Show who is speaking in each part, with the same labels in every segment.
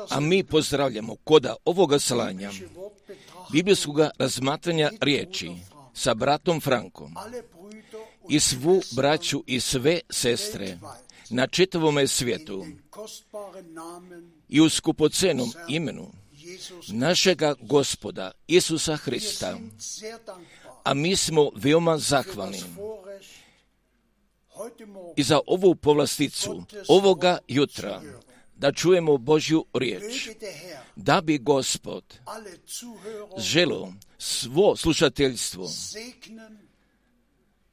Speaker 1: A mi pozdravljamo koda ovoga slanja biblijskog razmatranja riječi sa bratom Frankom i svu braću i sve sestre na čitavome svijetu i u skupocenom imenu našega Gospoda Isusa Hrista. A mi smo veoma zahvalni i za ovu povlasticu ovoga jutra da čujemo Božju riječ, da bi Gospod želio svo slušateljstvo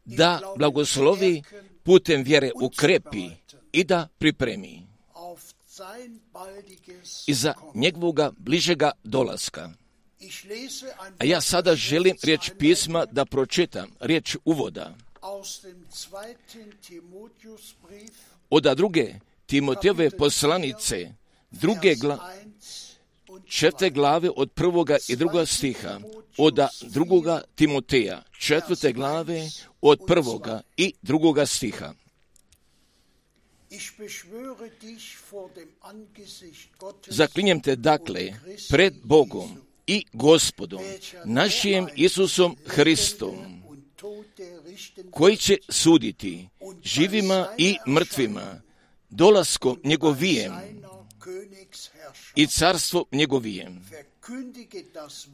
Speaker 1: da blagoslovi, putem vjere ukrepi i da pripremi i za njegovoga bližega dolaska. A ja sada želim riječ pisma da pročitam, riječ uvoda od druge Timotejove poslanice, četvrte glave od 1. i 2. stiha, od 2. Timoteja, 4. glave od 1. i 2. stiha. Zaklinjem te dakle pred Bogom i Gospodom, našim Isusom Hristom, koji će suditi živima i mrtvima, dolaskom njegovijem i carstvo njegovijem.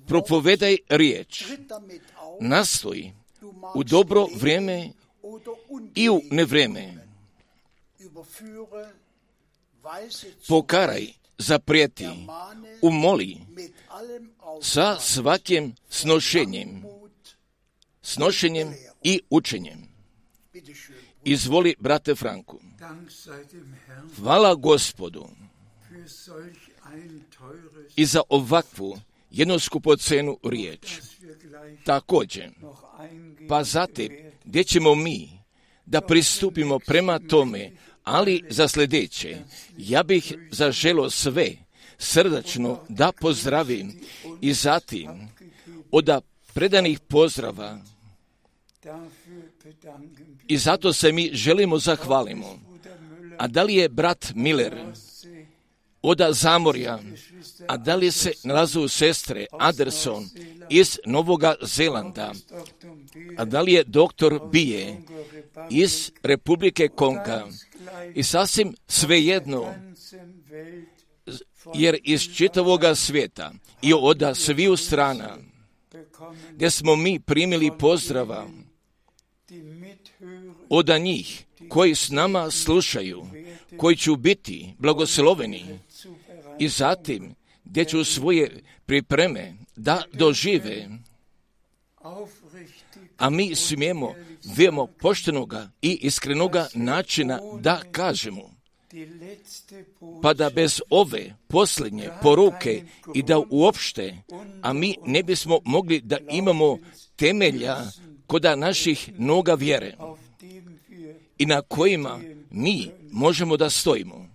Speaker 1: Propovedaj riječ, nastoj u dobro vrijeme i u nevrijeme. Pokaraj, zaprijeti, umoli sa svakim snošenjem i učenjem. Izvoli, brate Franku. Hvala Gospodu i za ovakvu jednu skupocenu riječ. Također, pa zatim, gdje ćemo mi da pristupimo prema tome, ali za sljedeće, ja bih zaželio sve srdačno da pozdravim i zatim od predanih pozdrava i zato se mi želimo zahvalimo. A da li je brat Miller od Zamorja, a da li se nalazu sestre Anderson iz Novoga Zelanda, a da li je doktor Bije iz Republike Konga, i sasvim svejedno, jer iz čitavoga svijeta i od sviju strana, gdje smo mi primili pozdrava od njih koji s nama slušaju, koji će biti blagosloveni i zatim gdje će svoje pripreme da dožive, a mi smijemo veoma poštenoga i iskrenoga načina da kažemo, pa da bez ove posljednje poruke i da uopšte, a mi ne bismo mogli da imamo temelja kod naših noga vjere i na kojima mi možemo da stojimo.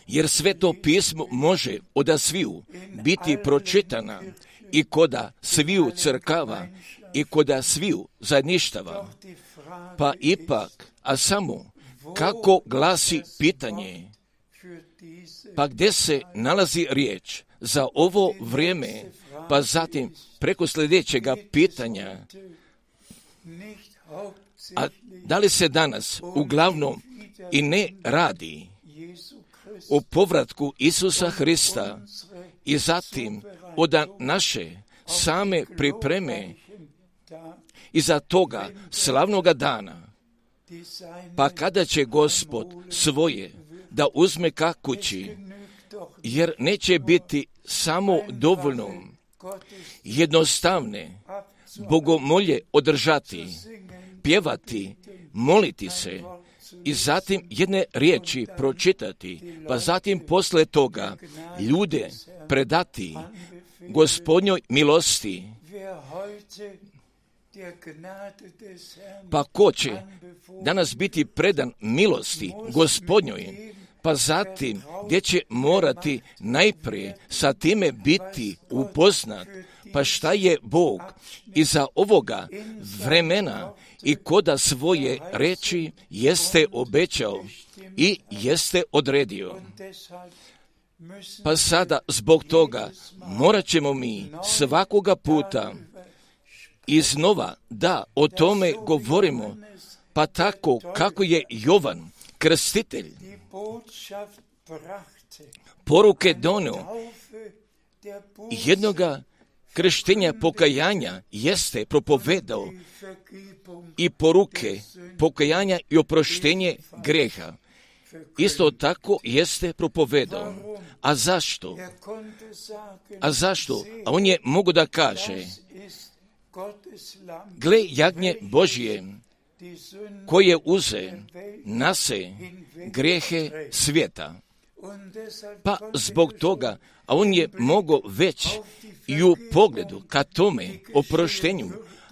Speaker 1: Jer Sveto pismo može od sviju biti pročitana i koda sviju crkava i koda sviju zajedništava. Pa ipak, a samo kako glasi pitanje, pa gdje se nalazi riječ za ovo vrijeme, pa zatim preko sljedećega pitanja, a da li se danas uglavnom i ne radi o povratku Isusa Hrista i zatim od naše same pripreme iza toga slavnoga dana, pa kada će Gospod svoje da uzme ka kući, jer neće biti samo dovoljno jednostavne bogomolje održati, pjevati, moliti se i zatim jedne riječi pročitati, pa zatim posle toga ljude predati Gospodnjoj milosti. Pa ko će danas biti predan milosti Gospodnjoj, pa zatim gdje će morati najprije sa time biti upoznat, pa šta je Bog iza ovoga vremena i koda svoje reči jeste obećao i jeste odredio. Pa sada zbog toga morat ćemo mi svakoga puta iznova da o tome govorimo, pa tako kako je Jovan Krstitelj poruke donio jednoga krštenja pokajanja jeste propovedao i poruke pokajanja i oproštenje greha. Isto tako jeste propovedao. A zašto? A on je mogu da kaže, gle jagnje Božije, koje uze na se grehe svijeta. Pa zbog toga, a on je mogao već i u pogledu ka tome oproštenju,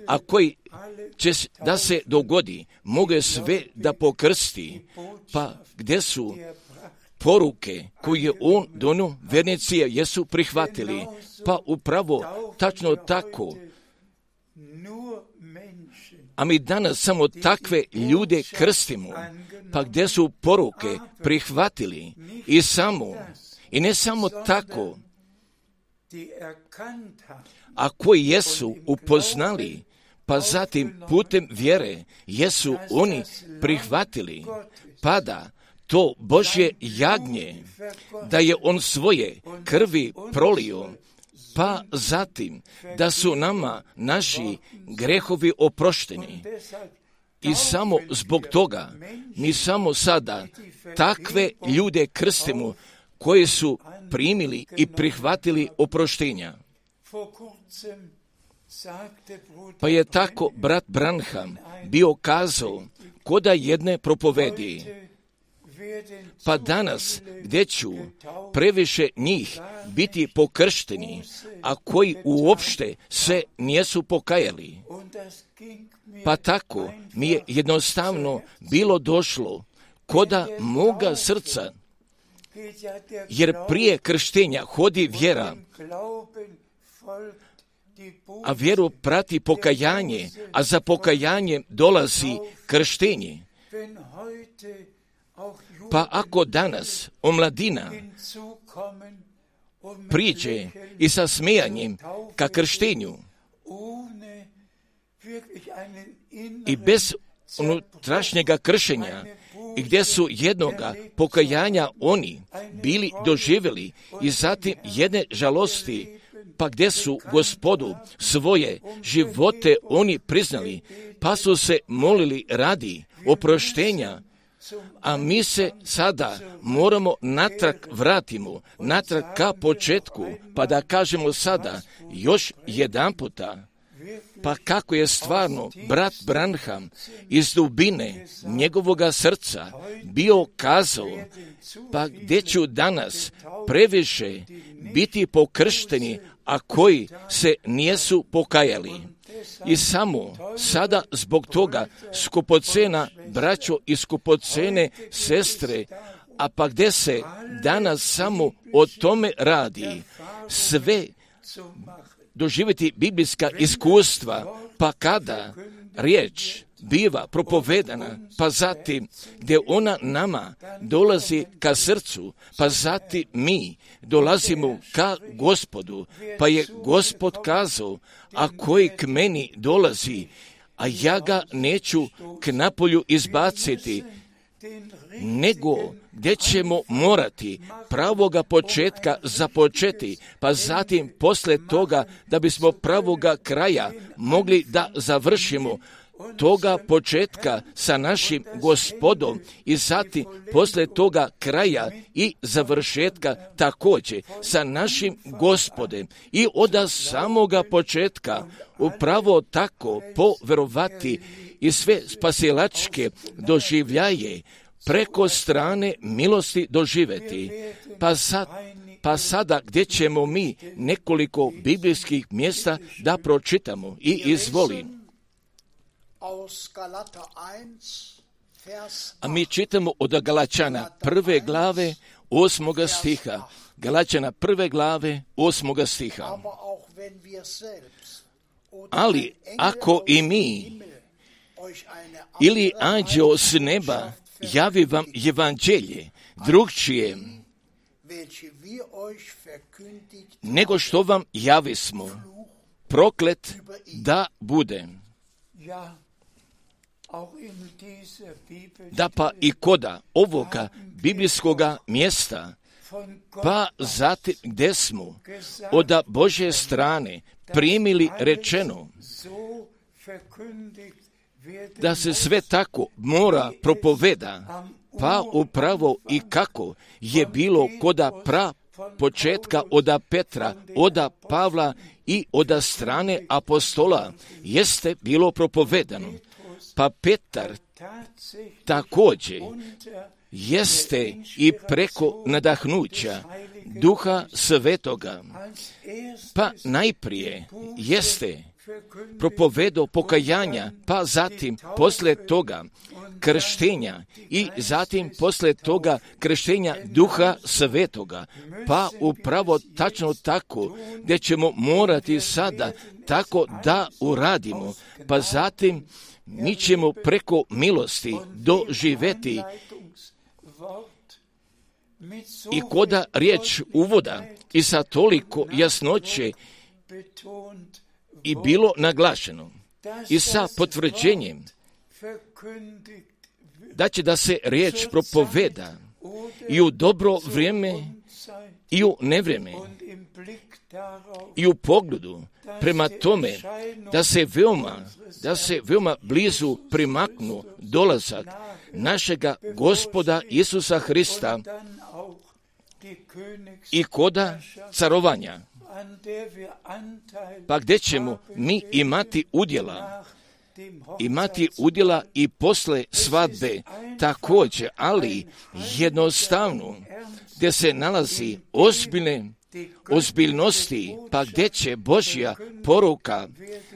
Speaker 1: a koji će da se dogodi, mogu sve da pokrsti, pa gdje su poruke koje on donio, vernici jesu prihvatili, pa upravo tačno tako. A mi danas samo takve ljude krstimo, pa gdje su poruke prihvatili i ne samo tako, a koji jesu upoznali, pa zatim putem vjere jesu oni prihvatili, pa da to Božje jagnje, da je on svoje krvi prolio, pa zatim da su nama naši grehovi oprošteni. I samo zbog toga mi samo sada takve ljude krstimo koji su primili i prihvatili oproštenja. Pa je tako brat Branham bio kazao koda jedne propovedi. Pa danas gdje ću previše njih biti pokršteni, a koji uopšte se nijesu pokajali. Pa tako mi je jednostavno bilo došlo koda moga srca, jer prije krštenja hodi vjera, a vjeru prati pokajanje, a za pokajanje dolazi krštenje. Pa ako danas omladina priđe i sa smijanjem ka krštenju i bez unutrašnjega kršenja i gdje su jednoga pokajanja oni bili doživjeli i zatim jedne žalosti, pa gdje su Gospodu svoje živote oni priznali, pa su se molili radi oproštenja, a mi se sada moramo vratimo natrag ka početku, pa da kažemo sada još jedan puta, pa kako je stvarno brat Branham iz dubine njegovoga srca bio kazao, pa gdje ću danas previše biti pokršteni, a koji se nijesu pokajali. I samo sada zbog toga skupocena braćo i skupocene sestre, a pa gdje se danas samo o tome radi, sve doživjeti biblijska iskustva, pa kada riječ biva propovedana, pa zatim gdje ona nama dolazi ka srcu, pa zatim mi dolazimo ka Gospodu, pa je Gospod kazao, a koji k meni dolazi, a ja ga neću k napolju izbaciti, nego gdje ćemo morati pravoga početka započeti, pa zatim posle toga da bismo pravoga kraja mogli da završimo toga početka sa našim Gospodom i zatim posle toga kraja i završetka također sa našim Gospodem i od samoga početka upravo tako poverovati i sve spasilačke doživljaje preko strane milosti doživjeti. Pa sada gdje ćemo mi nekoliko biblijskih mjesta da pročitamo i izvolim. A mi čitamo od Galačana 1. glave 8. stiha. Galačana 1. glave 8. stiha. Ali ako i mi ili anđeo s neba javi vam evanđelje drugčije nego što vam javismo, proklet da bude. Da pa i koda ovoga biblijskoga mjesta, pa zatim gdje smo od Božje strane primili rečeno da se sve tako mora propoveda, pa upravo i kako je bilo koda početka oda Petra, oda Pavla i oda strane apostola, jeste bilo propovedano. Pa Petar također jeste i preko nadahnuća Duha Svetoga, pa najprije jeste propovedo pokajanja, pa zatim poslije toga krštenja i zatim poslije toga krštenja Duha Svetoga, pa upravo tačno tako gdje ćemo morati sada tako da uradimo, pa zatim mi ćemo preko milosti doživjeti i koda riječ uvoda i sa toliko jasnoće i bilo naglašeno i sa potvrđenjem da će da se riječ propoveda i u dobro vrijeme i u nevrijeme i u pogledu prema tome da se veoma blizu primaknu dolazak našega Gospoda Isusa Hrista i koda carovanja, pa gdje ćemo mi imati udjela i posle svadbe također, ali jednostavno gdje se nalazi ozbiljnosti, pa gdje će Božja poruka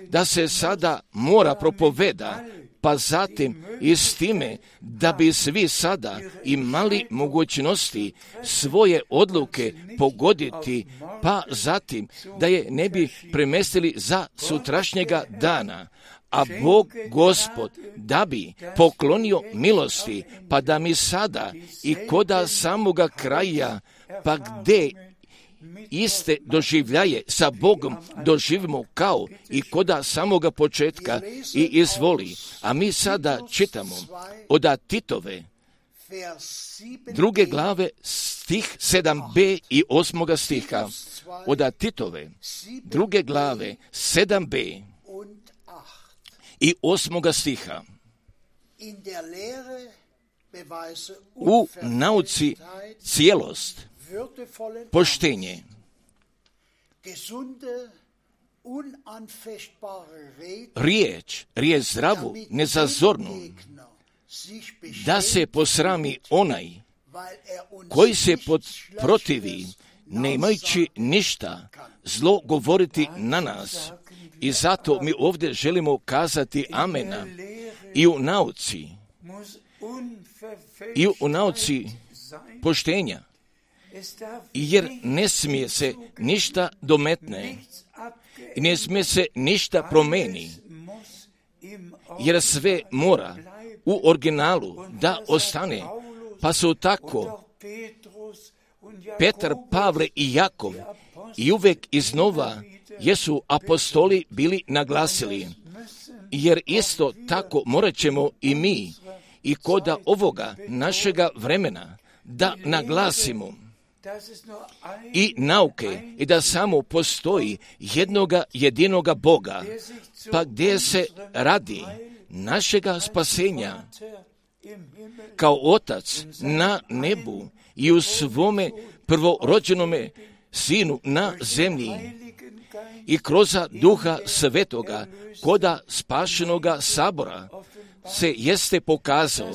Speaker 1: da se sada mora propoveda, pa zatim i s time da bi svi sada imali mogućnosti svoje odluke pogoditi, pa zatim da je ne bi premestili za sutrašnjega dana. A Bog Gospod da bi poklonio milosti, pa da mi sada i koda samoga kraja, pa gdje iste doživljaje sa Bogom doživimo kao i koda samoga početka i izvoli. A mi sada čitamo od Titove 2. glave stih 7b i 8. stiha. Od Titove 2. glave 7b i 8. stiha. U nauci cijelost, poštenje, riječ zdravu, nezazornu, da se posrami onaj koji se protivi, ne imajući ništa zlo govoriti na nas. I zato mi ovdje želimo kazati amena i u nauci poštenja, jer ne smije se ništa dometne i ne smije se ništa promeni, jer sve mora u originalu da ostane. Pa su tako Petar, Pavle i Jakov i uvijek iznova jesu apostoli bili naglasili, jer isto tako morat ćemo i mi i koda ovoga našega vremena da naglasimo i nauke i da samo postoji jednoga jedinoga Boga, pa gdje se radi našega spasenja kao Otac na nebu i u svome prvorođenome Sinu na zemlji i kroz Duha Svetoga koda spašenoga sabora se jeste pokazao,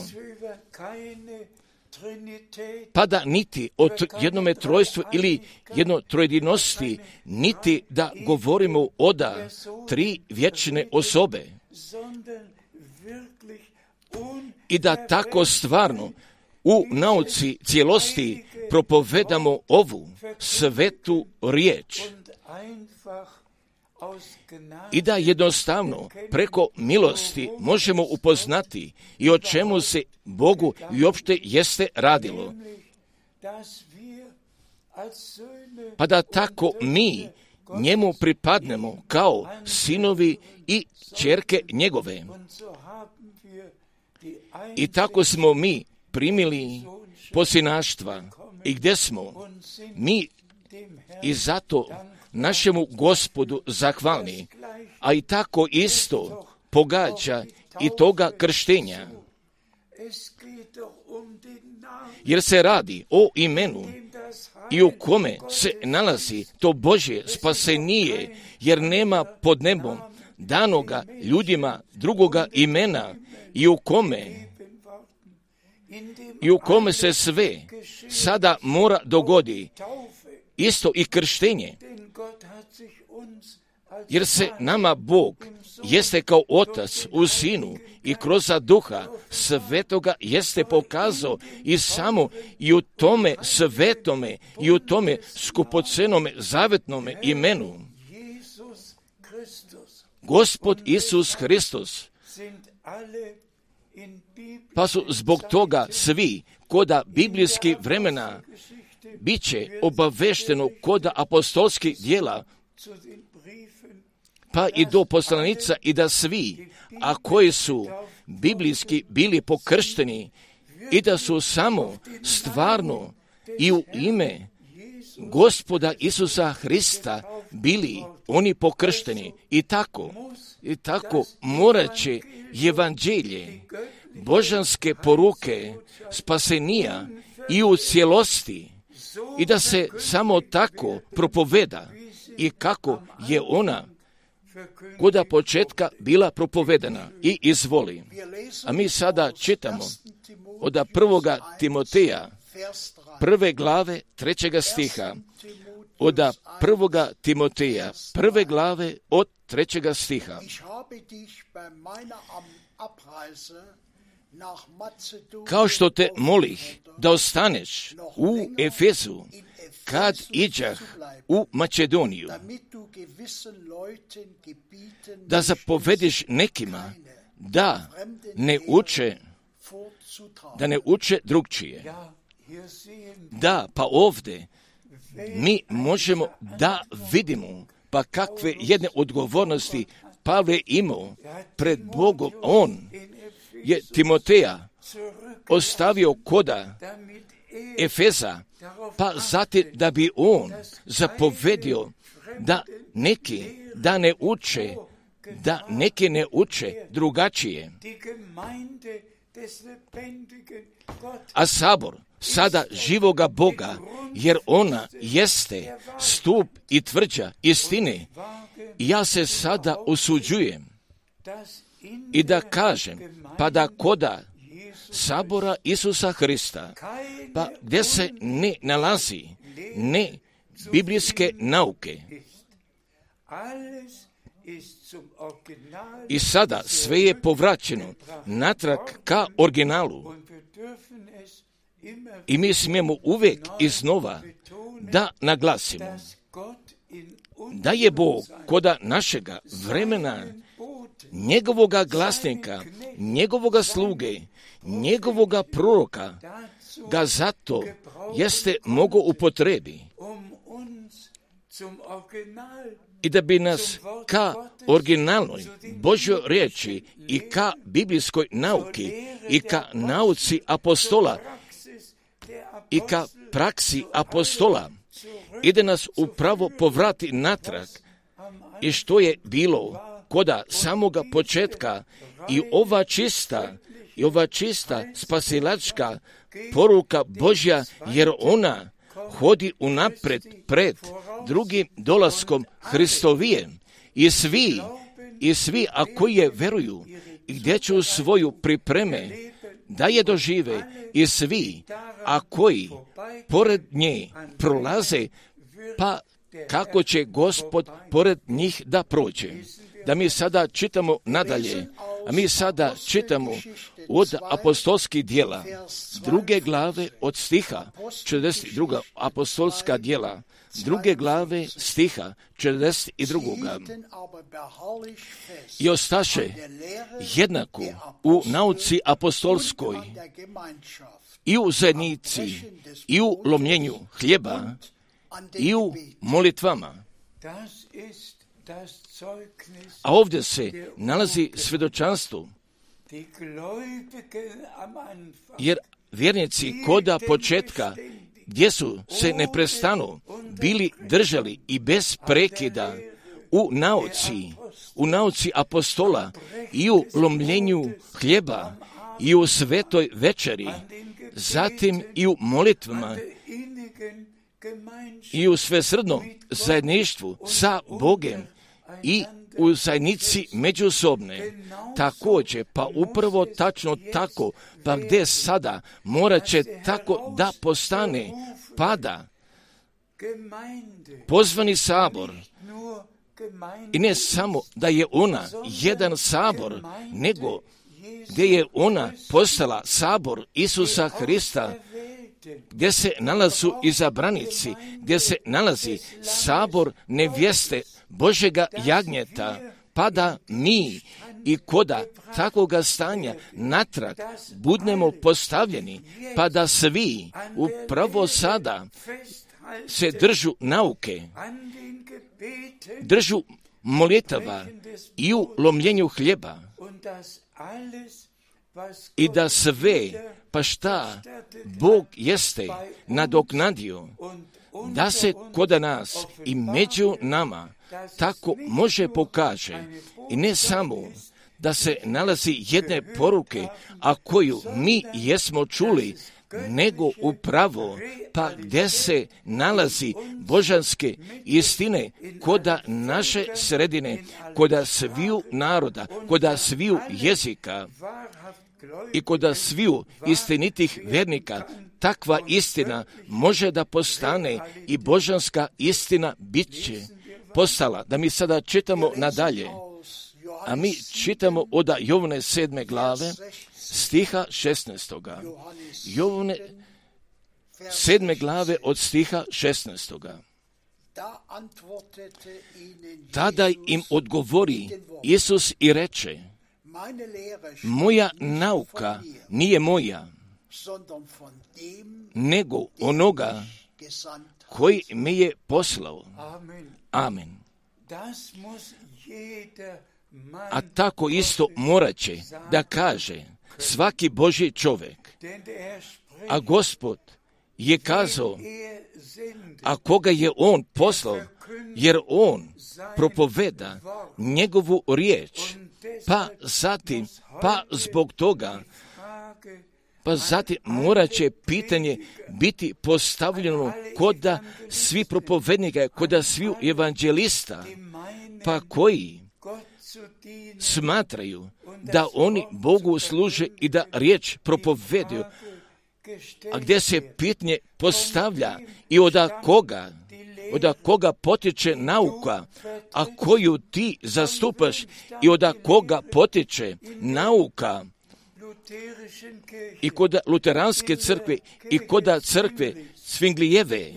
Speaker 1: pa da niti o jednome trojstvu ili jednotrojedinosti, niti da govorimo o tri vječne osobe, i da tako stvarno u nauci cijelosti propovedamo ovu svetu riječ i da jednostavno preko milosti možemo upoznati i o čemu se Bogu i uopšte jeste radilo. Pa da tako mi njemu pripadnemo kao sinovi i ćerke njegove. I tako smo mi primili posinaštva i gdje smo mi i zato našemu Gospodu zahvalni, a i tako isto pogađa i toga krštenja. Jer se radi o imenu i u kome se nalazi to Božje spasenije, jer nema pod nebom danoga ljudima drugoga imena i u kome se sve sada mora dogodi, isto i krštenje. Jer se nama Bog jeste kao Otac u Sinu i kroz Duha Svetoga jeste pokazao i samo i u tome svetome i u tome skupocenome zavetnome imenu. Gospod Isus Hristos. Pa su zbog toga svi koda biblijskih vremena bit će obavešteno koda apostolskih djela, pa i do poslanica i da svi, a koji su biblijski bili pokršteni i da su samo stvarno i u ime Gospoda Isusa Hrista bili oni pokršteni. I tako morat će evanđelje, božanske poruke, spasenija i u cijelosti i da se samo tako propoveda i kako je ona koda početka bila propovedana i izvoli. A mi sada čitamo od 1. Timoteja, 1. glave 3. stiha, od 1. Timoteja, 1. glave od 3. stiha. Kao što te molih da ostaneš u Efezu, kad iđah u Makedoniju, da zapovediš nekima da ne uče drugčije. Da, pa ovdje mi možemo da vidimo pa kakve jedne odgovornosti Pavle imao pred Bogom. On je Timoteja ostavio koda Efeza, pa zatim da bi on zapovedio da neki ne uče drugačije. A sabor sada živoga Boga, jer ona jeste stup i tvrđa istine, ja se sada usuđujem i da kažem, pa da koda sabora Isusa Hrista, pa gdje se ne nalazi ne biblijske nauke. I sada sve je povraćeno natrag ka originalu. I mi smijemo uvijek iznova da naglasimo da je Bog koda našega vremena, njegovoga glasnika, njegovoga sluge, njegovoga proroka, ga zato jeste mogo upotrebi i da bi nas ka originalnoj Božjoj riječi i ka biblijskoj nauki i ka nauci apostola i ka praksi apostola i da nas upravo povrati natrag i što je bilo koda samoga početka i ova čista spasilačka poruka Božja, jer ona hodi unapred pred drugim dolaskom Hristovijem i svi a koji je veruju i gdje će svoju pripreme da je dožive i svi a koji pored nje prolaze, pa kako će Gospod pored njih da prođe. Da mi sada čitamo nadalje A mi sada čitamo od apostolskih djela, 2. glave od stiha 42. apostolska djela, 2. glave stiha 42. I ostaše jednako u nauci apostolskoj i u zajednici i u lomljenju hljeba i u molitvama. A ovdje se nalazi svjedočanstvo, jer vjernici koda početka, gdje su se neprestano bili držali i bez prekida u nauci apostola i u lomljenju hljeba i u svetoj večeri, zatim i u molitvama i u svesrdnom zajedništvu sa Bogem i u zajednici međusobne. Također, pa upravo tačno tako, pa gdje sada morat će tako da postane pada pozvani sabor. I ne samo da je ona jedan sabor, nego gdje je ona postala sabor Isusa Hrista, gdje se nalazu izabranici, gdje se nalazi sabor nevjeste Božega jagnjeta, pa da mi i koda takvoga stanja natrag budemo postavljeni, pa da svi upravo sada se držu nauke, držu molitava i u lomljenju hljeba, i da sve, pa šta Bog jeste nadoknadio, da se koda nas i među nama tako može pokaže, i ne samo da se nalazi jedne poruke, a koju mi jesmo čuli, nego upravo pa gdje se nalazi božanske istine koda naše sredine, koda sviju naroda, koda sviju jezika i koda sviju istinitih vjernika. Takva istina može da postane i božanska istina bit će postala. Da mi sada čitamo nadalje, a mi čitamo od Jovane 7. glave stiha 16. Jovane 7. glave od stiha 16. Tada im odgovori Isus i reče: moja nauka nije moja, nego onoga koji me je poslao. Amen. A tako isto morat će da kaže svaki Božji čovjek. A Gospod je kazao, a koga je on poslao, jer on propoveda njegovu riječ, pa zatim, pa zbog toga, pa zatim morat će pitanje biti postavljeno koda svi propovednika, koda sviju evanđelista, pa koji smatraju da oni Bogu služe i da riječ propovedaju, a gdje se pitanje postavlja i od koga potiče nauka, a koju ti zastupaš, i od koga potiče nauka i koda luteranske crkve i koda crkve Svinglijeve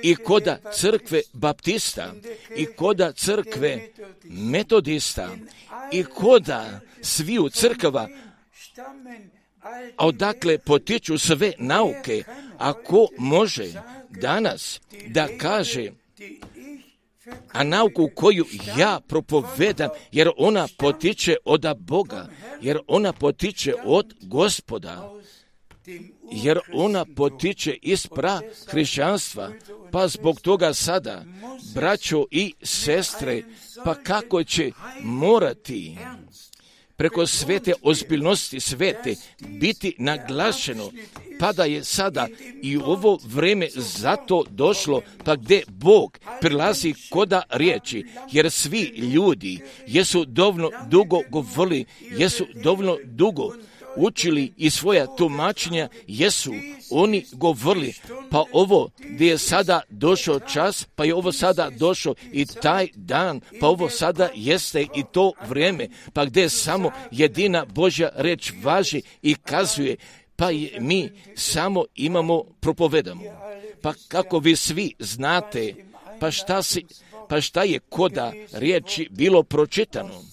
Speaker 1: i koda crkve baptista i koda crkve metodista i koda sviju crkava, a odakle potiču sve nauke. Ako može danas da kaže, a nauku koju ja propovedam, jer ona potiče od Boga, jer ona potiče od Gospoda, jer ona potiče iz hrišćanstva, pa zbog toga sada, braćo i sestre, pa kako će morati preko svete ozbiljnosti svete biti naglašeno, pa da je sada i ovo vrijeme zato došlo, pa gdje Bog prilazi koda riječi, jer svi ljudi jesu dovoljno dugo govorili, jesu dovoljno dugo učili i svoja tumačenja, jesu oni govorili, pa ovo gdje je sada došao čas, pa je ovo sada došao i taj dan, pa ovo sada jeste i to vrijeme, pa gdje samo jedina Božja reč važi i kazuje, pa mi samo imamo propovedamo. Pa kako vi svi znate, pa šta je koda riječi bilo pročitano?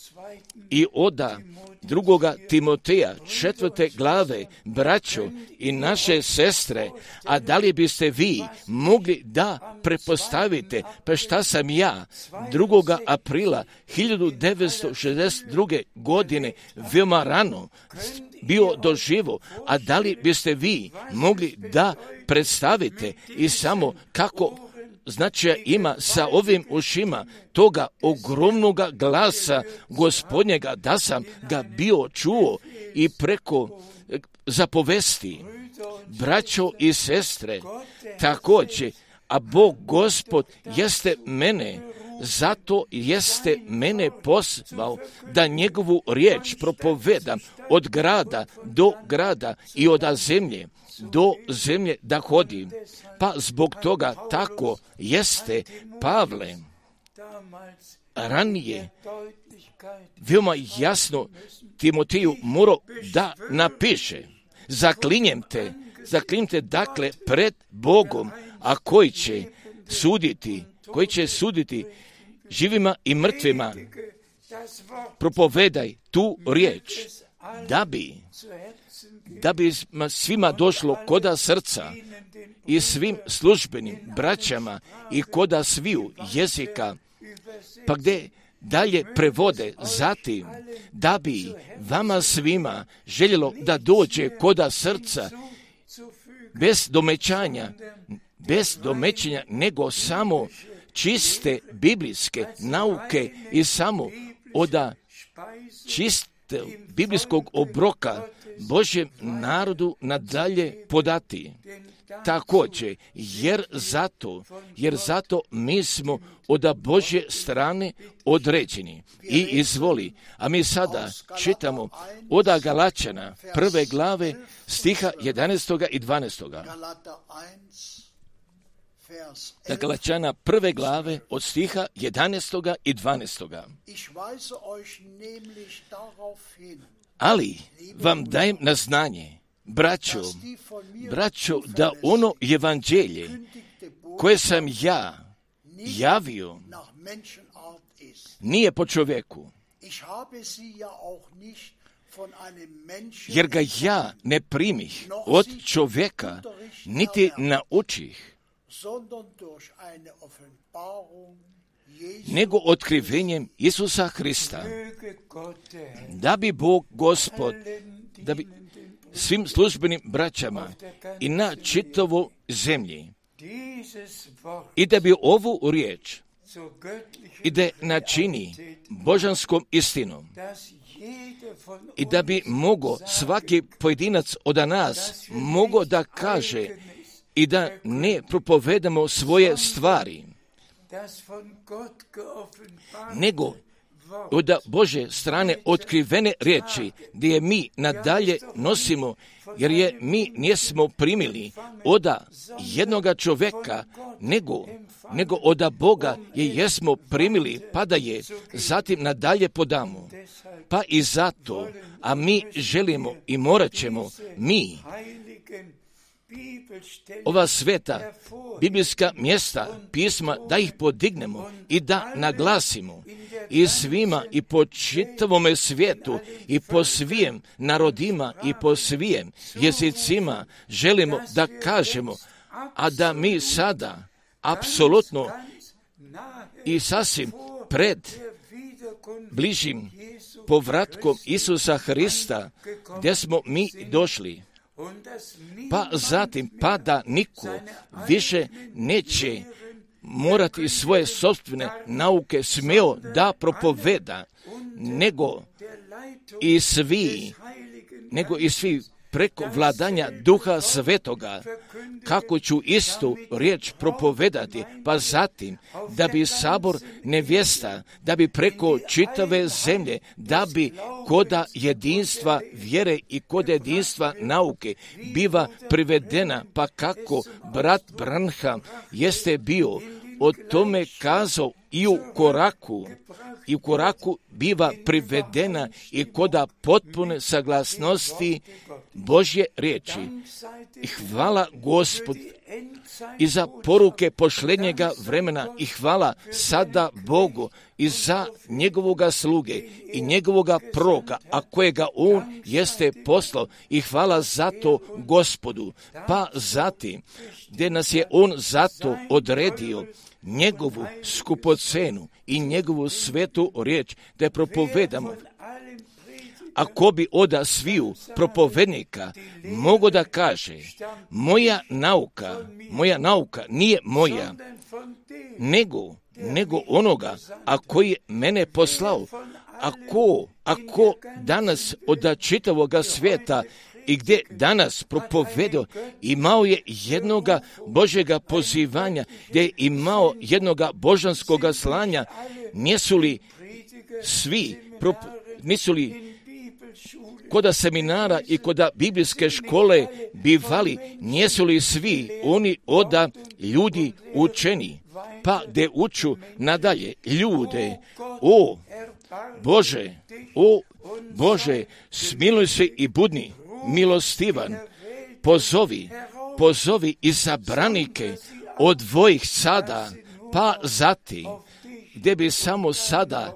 Speaker 1: I oda 2. Timoteja 4. glave, braćo i naše sestre, a da li biste vi mogli da prepostavite, pa šta sam ja 2. aprila 1962. godine veoma rano bio doživo, a da li biste vi mogli da predstavite i samo kako značaja ima sa ovim ušima toga ogromnoga glasa Gospodnjega, da sam ga bio čuo i preko zapovesti. Braćo i sestre, također, a Bog Gospod jeste mene, zato jeste mene poslao da njegovu riječ propovedam od grada do grada i od zemlje do zemlje da hodim. Pa zbog toga tako jeste Pavle ranije veoma jasno Timoteju morao da napiše, zaklinjem te dakle pred Bogom, a koji će suditi živima i mrtvima, propovedaj tu riječ, da bi svima došlo koda srca i svim službenim braćama i koda sviju jezika, pa gdje dalje prevode, zatim da bi vama svima željelo da dođe koda srca bez domećanja, nego samo čiste biblijske nauke i samo od čiste biblijskog obroka Božjem narodu nadalje podati. Također, jer zato mi smo od Božje strane određeni i izvoli. A mi sada čitamo od Galačana 1. glave stiha 11. i 12. Da Galačana 1. glave od stiha 11. i 12. Ali vam dajem na znanje, braćo, da ono evanđelje koje sam ja javio nije po čovjeku, jer ga ja ne primih od čovjeka, niti naučih, nego otkrivenjem Isusa Hrista, da bi Bog Gospod, da bi svim službenim braćama i na čitavoj zemlji, i da bi ovu riječ i da načini božanskom istinom, i da bi mogo svaki pojedinac od nas mogo da kaže i da ne propovedamo svoje stvari, nego od Bože strane otkrivene riječi, gdje je mi nadalje nosimo, jer je mi nismo primili od jednoga čovjeka, nego od Boga je jesmo primili, pa da je zatim nadalje podamo. Pa i zato, a mi želimo i morat ćemo, mi ova sveta biblijska mjesta, pisma, da ih podignemo i da naglasimo i svima i po čitavome svijetu i po svim narodima i po svim jezicima želimo da kažemo, a da mi sada apsolutno i sasvim pred bližim povratkom Isusa Hrista, gdje smo mi došli, pa zatim pa da niko više neće morati svoje sopstvene nauke smeo da propoveda, nego i svi preko vladanja Duha Svetoga, kako ću istu riječ propovedati, pa zatim da bi sabor nevjesta, da bi preko čitave zemlje, da bi koda jedinstva vjere i kod jedinstva nauke biva privedena, pa kako brat Branham jeste bio o tome kazao i u koraku biva privedena i koda potpune saglasnosti Božje riječi. I hvala Gospod i za poruke posljednjega vremena i hvala sada Bogu i za njegovoga sluge i njegovoga proroka, a kojega on jeste poslao, i hvala za to Gospodu. Pa zatim, gdje nas je on zato odredio, njegovu skupocenu i njegovu svetu riječ da je propovedamo. Ako bi oda sviju propovednika mogo da kaže, moja nauka nije moja, nego onoga, a koji je mene poslao. Ako danas od čitavoga svijeta i gdje danas propovedao, imao je jednoga Božjega pozivanja, gdje je imao jednoga božanskoga slanja, nisu li koda seminara i koda biblijske škole bivali, nisu li svi oni oda ljudi učeni, pa gdje uču nadalje ljude, o Bože, smiluj se i budni milostivan, pozovi izabranike od dvojih sada, pa zatim, gdje bi samo sada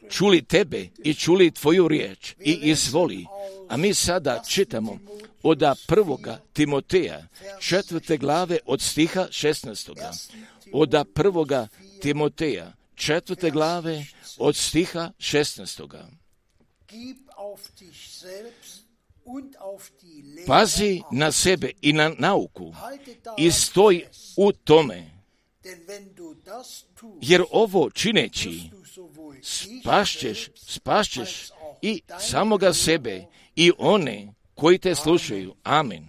Speaker 1: čuli tebe i čuli tvoju riječ i izvoli. A mi sada čitamo od 1. Timoteja 4. glave od stiha 16. Od 1. Timoteja 4. glave od stiha 16. Pazi na sebe i na nauku i stoj u tome, jer ovo čineći spašćeš i samoga sebe i one koji te slušaju. Amen.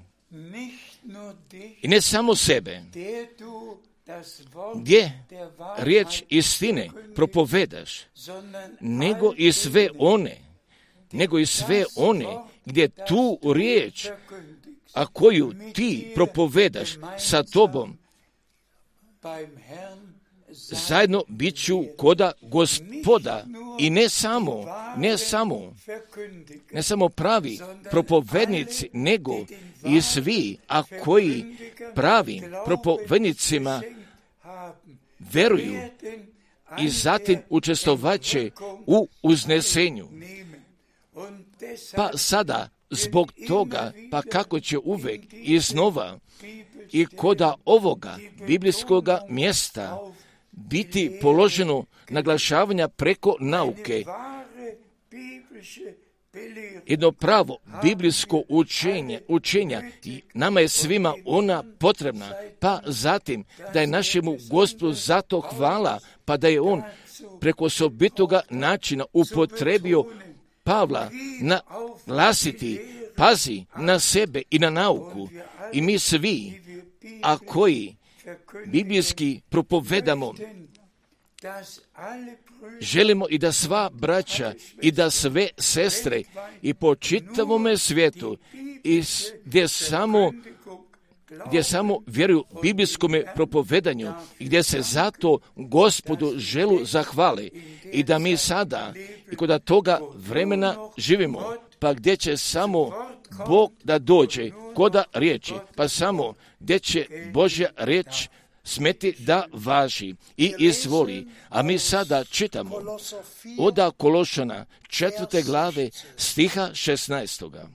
Speaker 1: I ne samo sebe, gdje riječ istine propovedaš, nego i sve one gdje tu riječ, a koju ti propovedaš sa tobom, zajedno bit ću koda Gospoda. I ne samo pravi propovednici, nego i svi, a koji pravim propovednicima veruju i zatim učestvovaće u uznesenju. Pa sada, zbog toga, pa kako će uvek iznova i koda ovoga biblijskoga mjesta biti položeno naglašavanja preko nauke, jedno pravo biblijsko učenja, nama je svima ona potrebna, pa zatim da je našemu Gospodu zato hvala, pa da je on preko osobitoga načina upotrebio Pavla naglasiti, pazi na sebe i na nauku. I mi svi, a koji biblijski propovedamo, želimo i da sva braća i da sve sestre i po čitavome svijetu i gdje samo vjeruju biblijskome propovedanju i gdje se zato Gospodu želu zahvali i da mi sada i kod toga vremena živimo, pa gdje će samo Bog da dođe koda riječi, pa samo gdje će Božja riječ smeti da važi i izvoli. A mi sada čitamo od Kološana 4. glave stiha 16.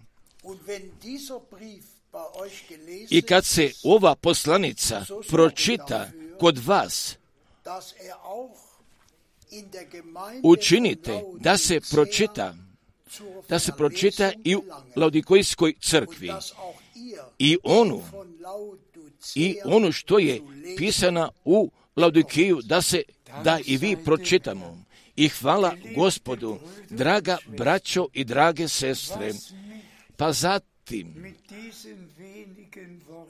Speaker 1: I kad se ova poslanica pročita kod vas, učinite da se pročita i u Laodikojskoj crkvi i ono što je pisana u Laodikeju da i vi pročitamo. I hvala Gospodu, draga braćo i drage sestre, pa zatim,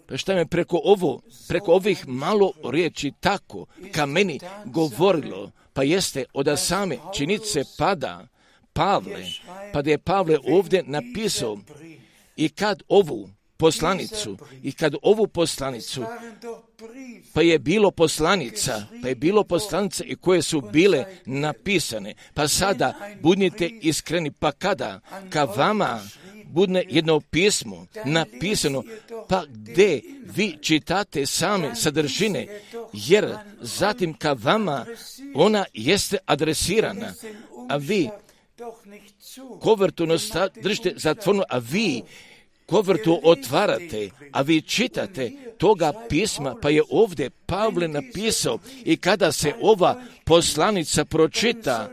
Speaker 1: pa šta me preko ovih malo riječi tako ka meni govorilo, pa jeste od same činice pada Pavle, pa da je Pavle ovdje napisao i kad ovu poslanicu, pa je bilo poslanica i koje su bile napisane, pa sada budite iskreni, pa kada ka vama bude jedno pismo napisano, pa gdje vi čitate same sadržine, jer zatim ka vama ona jeste adresirana, a vi kovertu držite zatvorenu, a vi kovertu otvarate, a vi čitate toga pisma, pa je ovdje Pavle napisao i kada se ova poslanica pročita,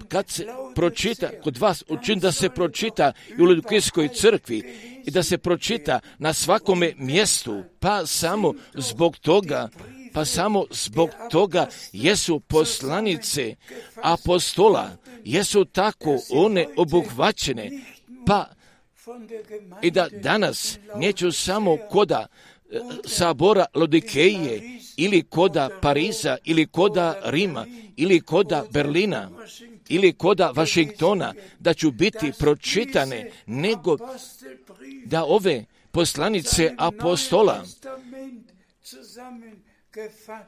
Speaker 1: kad se pročita kod vas, učin da se pročita i u Laodikejskoj crkvi i da se pročita na svakome mjestu, pa samo zbog toga jesu poslanice apostola, jesu tako one obuhvaćene, pa i da danas neću samo koda sabora Laodikeje ili koda Pariza ili koda Rima ili koda Berlina ili koda Vašingtona da ću biti pročitane, nego da ove poslanice apostola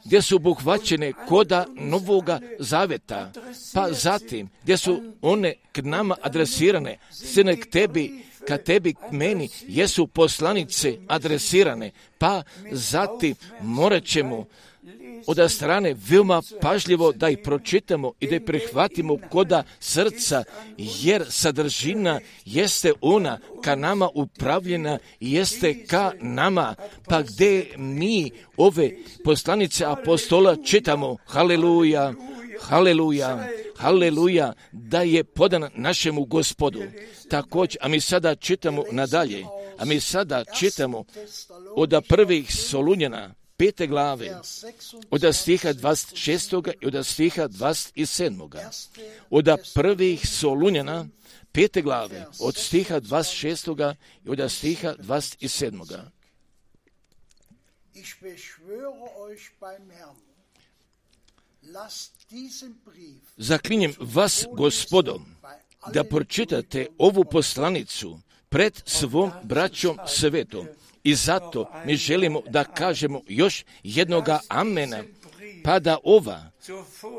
Speaker 1: gdje su obuhvaćene koda Novoga Zaveta, pa zatim gdje su one k nama adresirane, sine k tebi, ka tebi, k meni, jesu poslanice adresirane, pa zatim morat ćemo od strane veoma pažljivo da ih pročitamo i da ih prihvatimo koda srca, jer sadržina jeste ona ka nama upravljena, jeste ka nama, pa gdje mi ove poslanice apostola čitamo, haleluja, haleluja, haleluja, da je podan našemu Gospodu. Također, a mi sada čitamo nadalje, od prvih Solunjana, 5. glave, od stiha 26. i od stiha 27. Od prvih Solunjana, 5. glave, od stiha 26. i od stiha 27. Zaklinjem vas, Gospodom, da pročitate ovu poslanicu pred svom braćom svetom. I zato mi želimo da kažemo još jednoga amena, pa da ova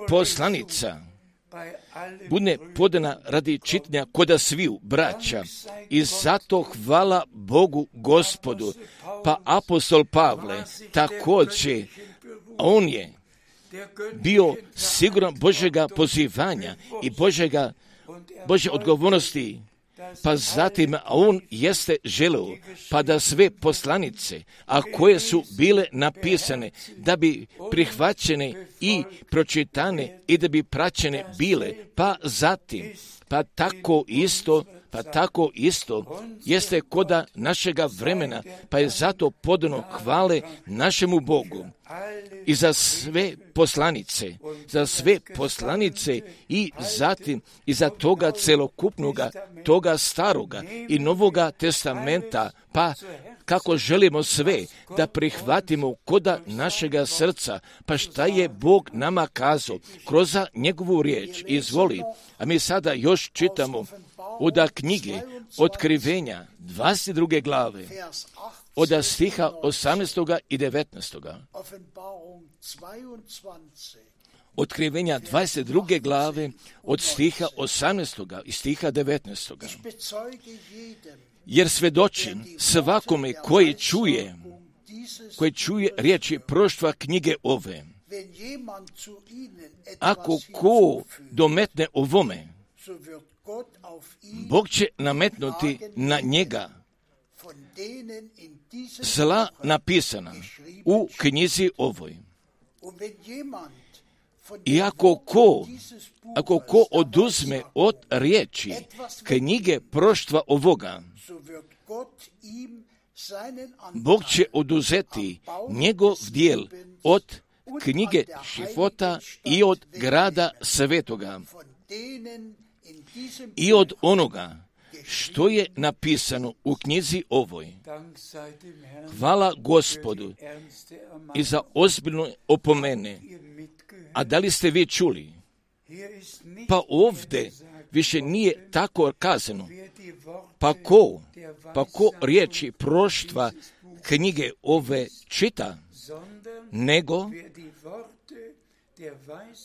Speaker 1: poslanica bude podana radi čitanja koda sviju braća. I zato hvala Bogu Gospodu. Pa apostol Pavle također, on je bio siguran Božjega pozivanja i Božje odgovornosti, pa zatim on jeste želeo, pa da sve poslanice, a koje su bile napisane, da bi prihvaćene i pročitane i da bi praćene bile, pa zatim, pa tako isto jeste koda našega vremena, pa je zato podano hvale našemu Bogu i za sve poslanice i zatim i za toga celokupnoga, toga staroga i novoga testamenta, pa kako želimo sve da prihvatimo koda našega srca, pa šta je Bog nama kazao kroz njegovu riječ. Izvoli, a mi sada još čitamo od knjige Otkrivenja 22. glave, od stiha 18. i 19. Otkrivenja 22. glave od stiha 18. i stiha 19. Jer svedočim svakome koji čuje riječi proštva knjige ove. Ako ko dometne ovome, Bog će nametnuti na njega zla napisana u knjizi ovoj. I ako ko oduzme od riječi knjige proštva ovoga, Bog će oduzeti njegov dijel od knjige života i od grada svetoga i od onoga što je napisano u knjizi ovoj. Hvala Gospodu i za ozbiljne opomene. A da li ste vi čuli? Pa ovdje više nije tako kazano. Pa ko riječi proštva knjige ove čita, nego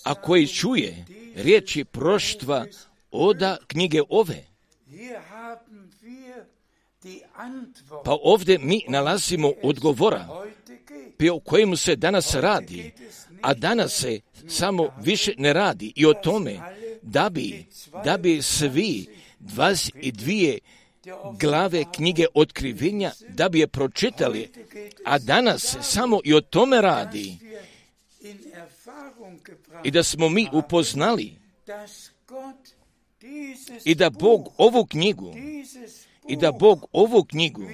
Speaker 1: a koji čuje riječi proštva oda knjige ove. Pa ovdje mi nalazimo odgovora o kojemu se danas radi, a danas se samo više ne radi i o tome da bi svi 22 glave knjige Otkrivenja da bi je pročitali, a danas se samo i o tome radi i da smo mi upoznali i da Bog ovu knjigu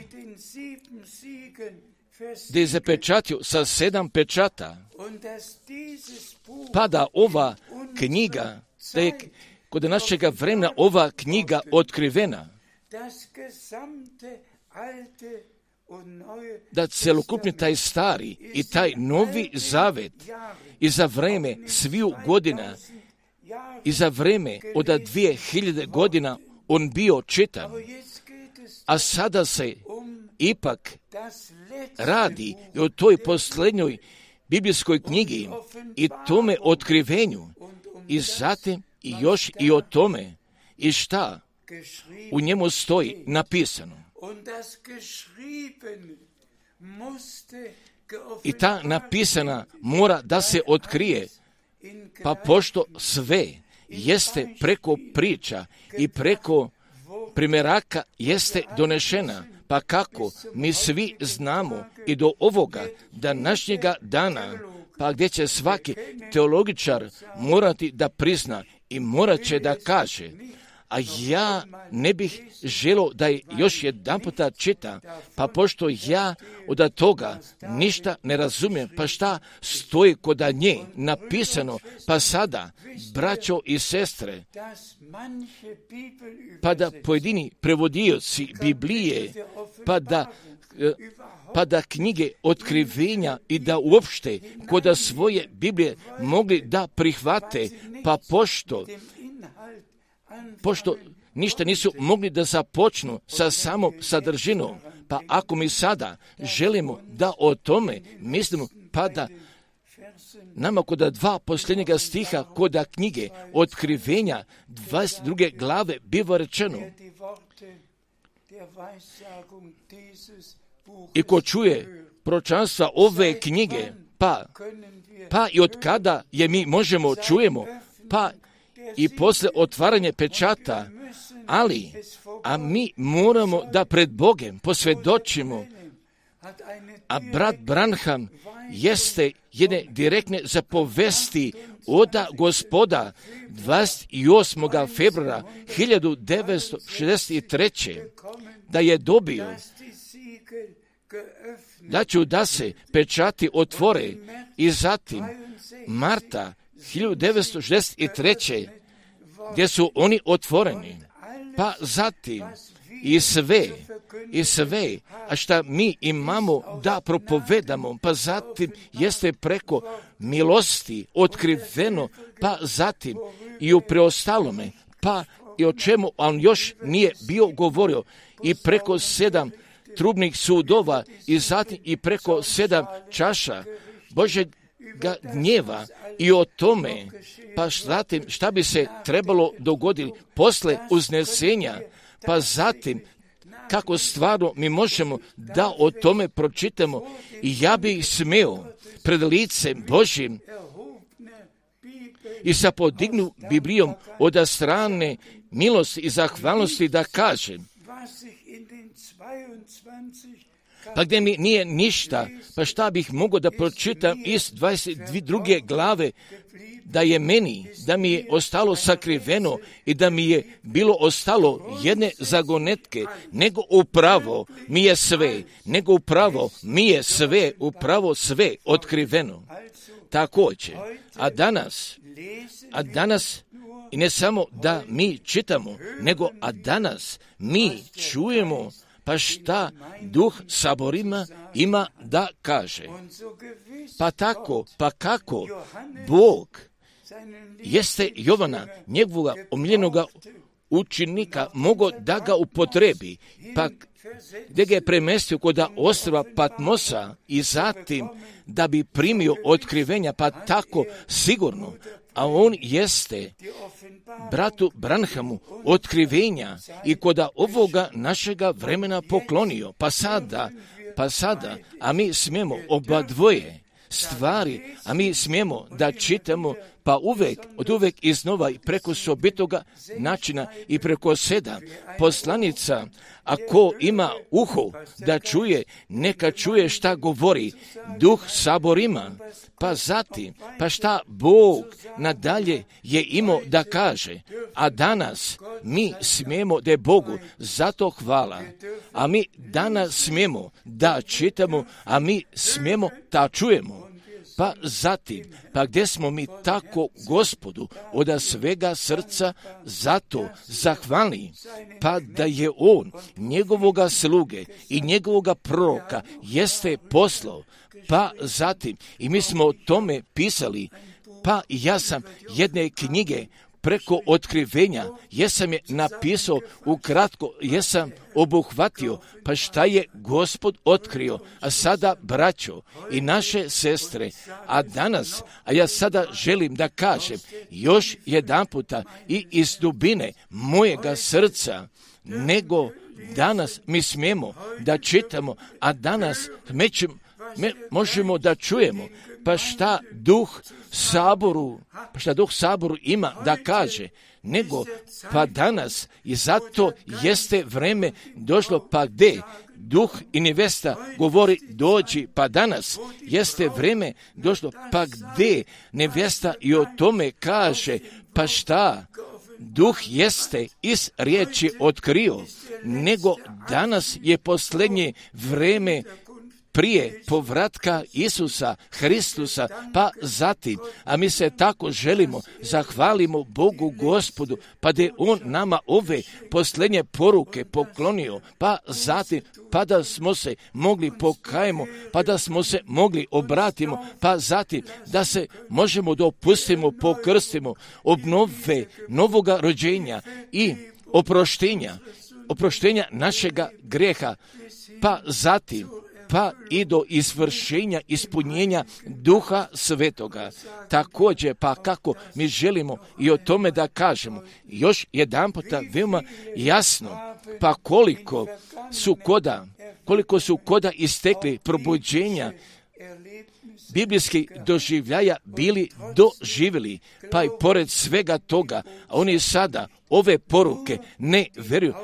Speaker 1: da je zapečatio sa 7 pečata, pa da ova knjiga, da je kod našega vremena ova knjiga otkrivena, da celokupni taj stari i taj novi zavet i za vreme sviju godina i za vreme od 2000 godina on bio čitan, a sada se ipak radi i o toj posljednjoj biblijskoj knjigi i tome otkrivenju i zatim i još i o tome i šta u njemu stoji napisano. I ta napisana mora da se otkrije, pa pošto sve jeste preko priča i preko primjeraka jeste donešena, pa kako mi svi znamo i do ovoga današnjega dana, pa gdje će svaki teologičar morati da prizna i morat će da kaže, a ja ne bih želio da je još jedan puta čita, pa pošto ja od toga ništa ne razumijem, pa šta stoji kod nje napisano, pa sada, braćo i sestre, pa da pojedini prevodioci Biblije, pa da knjige Otkrivenja i da uopšte kod svoje Biblije mogli da prihvate, pa pošto ništa nisu mogli da započnu sa samom sadržinom, pa ako mi sada želimo da o tome mislimo, pa da nama kod 2 posljednjega stiha kod knjige Otkrivenja 22. glave biva rečeno, i ko čuje proročanstva ove knjige, pa i od kada je mi možemo čujemo, pa i posle otvaranja pečata, a mi moramo da pred Bogem posvjedočimo, a brat Branham jeste jedne direktne zapovesti oda Gospoda 28. februara 1963. da je dobio da ću da se pečati otvore i zatim marta 1963. gdje su oni otvoreni, pa zatim i sve, a šta mi imamo da propovedamo, pa zatim jeste preko milosti otkriveno, pa zatim i u preostalome, pa i o čemu on još nije bio govorio, i preko 7 trubnih sudova i zatim i preko 7 čaša Božeg gnjeva i o tome, pa zatim šta bi se trebalo dogoditi posle uznesenja, pa zatim kako stvarno mi možemo da o tome pročitamo, i ja bih smeo pred licem Božjim i sa podignu Biblijom od strane milosti i zahvalnosti da kažem, pa gdje mi nije ništa, pa šta bih mogao da pročitam iz 22. glave, da mi je ostalo sakriveno i da mi je bilo ostalo jedne zagonetke, nego upravo mi je sve otkriveno. Također, a danas I ne samo da mi čitamo, nego a danas mi čujemo pa šta Duh saborima ima da kaže. Pa tako, pa kako Bog jeste Jovana, njegovoga omiljenoga učenika, mogao da ga upotrebi, pa gdje ga je premestio kod ostrva Patmosa i zatim da bi primio otkrivenja, pa tako sigurno, a on jeste bratu Branhamu otkrivenja i kod ovoga našega vremena poklonio, pa sada, a mi smijemo oba dvoje stvari, a mi smijemo da čitamo, pa od uvek iznova i preko sobitoga načina i preko 7 poslanica, a ko ima uho da čuje, neka čuje šta govori Duh saborima, pa zatim, pa šta Bog nadalje je imao da kaže, a danas mi smijemo da je Bogu zato hvala, a mi danas smijemo da čitamo, a mi smijemo da čujemo. Pa zatim, pa gdje smo mi tako Gospodu od svega srca zato zahvalni, pa da je On njegovoga sluge i njegovoga proroka jeste poslao, pa zatim, i mi smo o tome pisali, pa ja sam jedne knjige preko otkrivenja, jesam je napisao ukratko, jesam obuhvatio, pa šta je Gospod otkrio, a sada braćo i naše sestre, a danas, a ja sada želim da kažem još jedanputa i iz dubine mojega srca, nego danas mi smijemo da čitamo, a danas možemo da čujemo, pa šta Duh saboru ima da kaže, nego pa danas i zato jeste vreme došlo, pa gdje Duh i nevesta govori dođi, pa danas jeste vreme došlo, pa gdje nevesta i o tome kaže, pa šta Duh jeste iz riječi otkrio, nego danas je posljednje vreme prije povratka Isusa Hristusa, pa zatim, a mi se tako želimo, zahvalimo Bogu Gospodu, pa da je On nama ove posljednje poruke poklonio, pa zatim, pa da smo se mogli pokajemo, pa da smo se mogli obratimo, pa zatim, da se možemo da opustimo, pokrstimo, obnove novoga rođenja i oproštenja našega greha, pa zatim, pa i do izvršenja, ispunjenja Duha Svetoga. Također, pa kako mi želimo i o tome da kažemo, još jedanputa veoma jasno, pa koliko su koda istekli probuđenja biblijskih doživljaja bili doživjeli, pa i pored svega toga, a oni sada ove poruke ne vjeruju,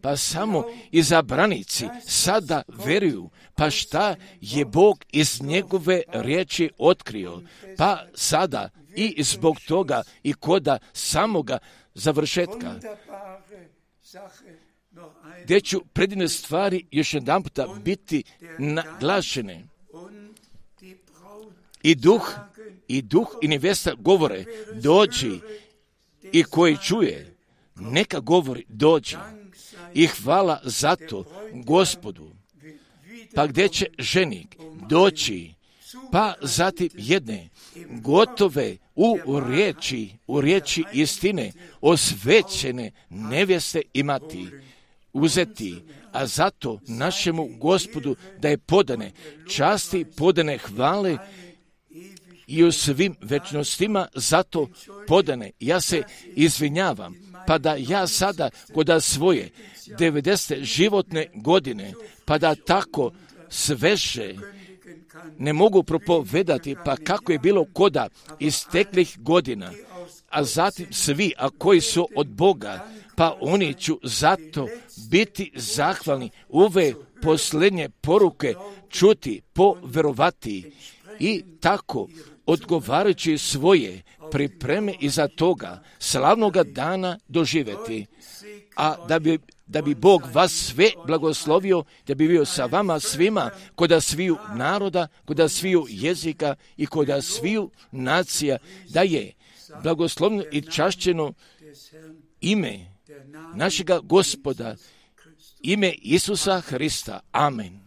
Speaker 1: pa samo izabranici sada veruju, pa šta je Bog iz njegove riječi otkrio, pa sada i zbog toga i koda samoga završetka, gdje ću predivne stvari još jedan puta biti naglašene. I duh i nevesta govore, dođi, i koji čuje, neka govori, dođi. I hvala za to Gospodu. Pa gdje će ženik doći, pa zatim jedne gotove u riječi istine osvećene nevjeste imati, uzeti, a zato našemu Gospodu da je podane časti, podane hvale i u svim večnostima zato podane. Ja se izvinjavam, pa da ja sada kod svoje 90. životne godine, pa da tako sveže ne mogu propovedati, pa kako je bilo koda isteklih godina, a zatim svi, a koji su od Boga, pa oni ću zato biti zahvalni ove posljednje poruke čuti, poverovati i tako odgovarajući svoje pripreme iza toga slavnoga dana doživjeti. A da bi Bog vas sve blagoslovio, da bi bio sa vama svima, kod sviju naroda, kod sviju jezika i kod sviju nacija, da je blagoslovno i čašćeno ime našega Gospoda, ime Isusa Hrista. Amen.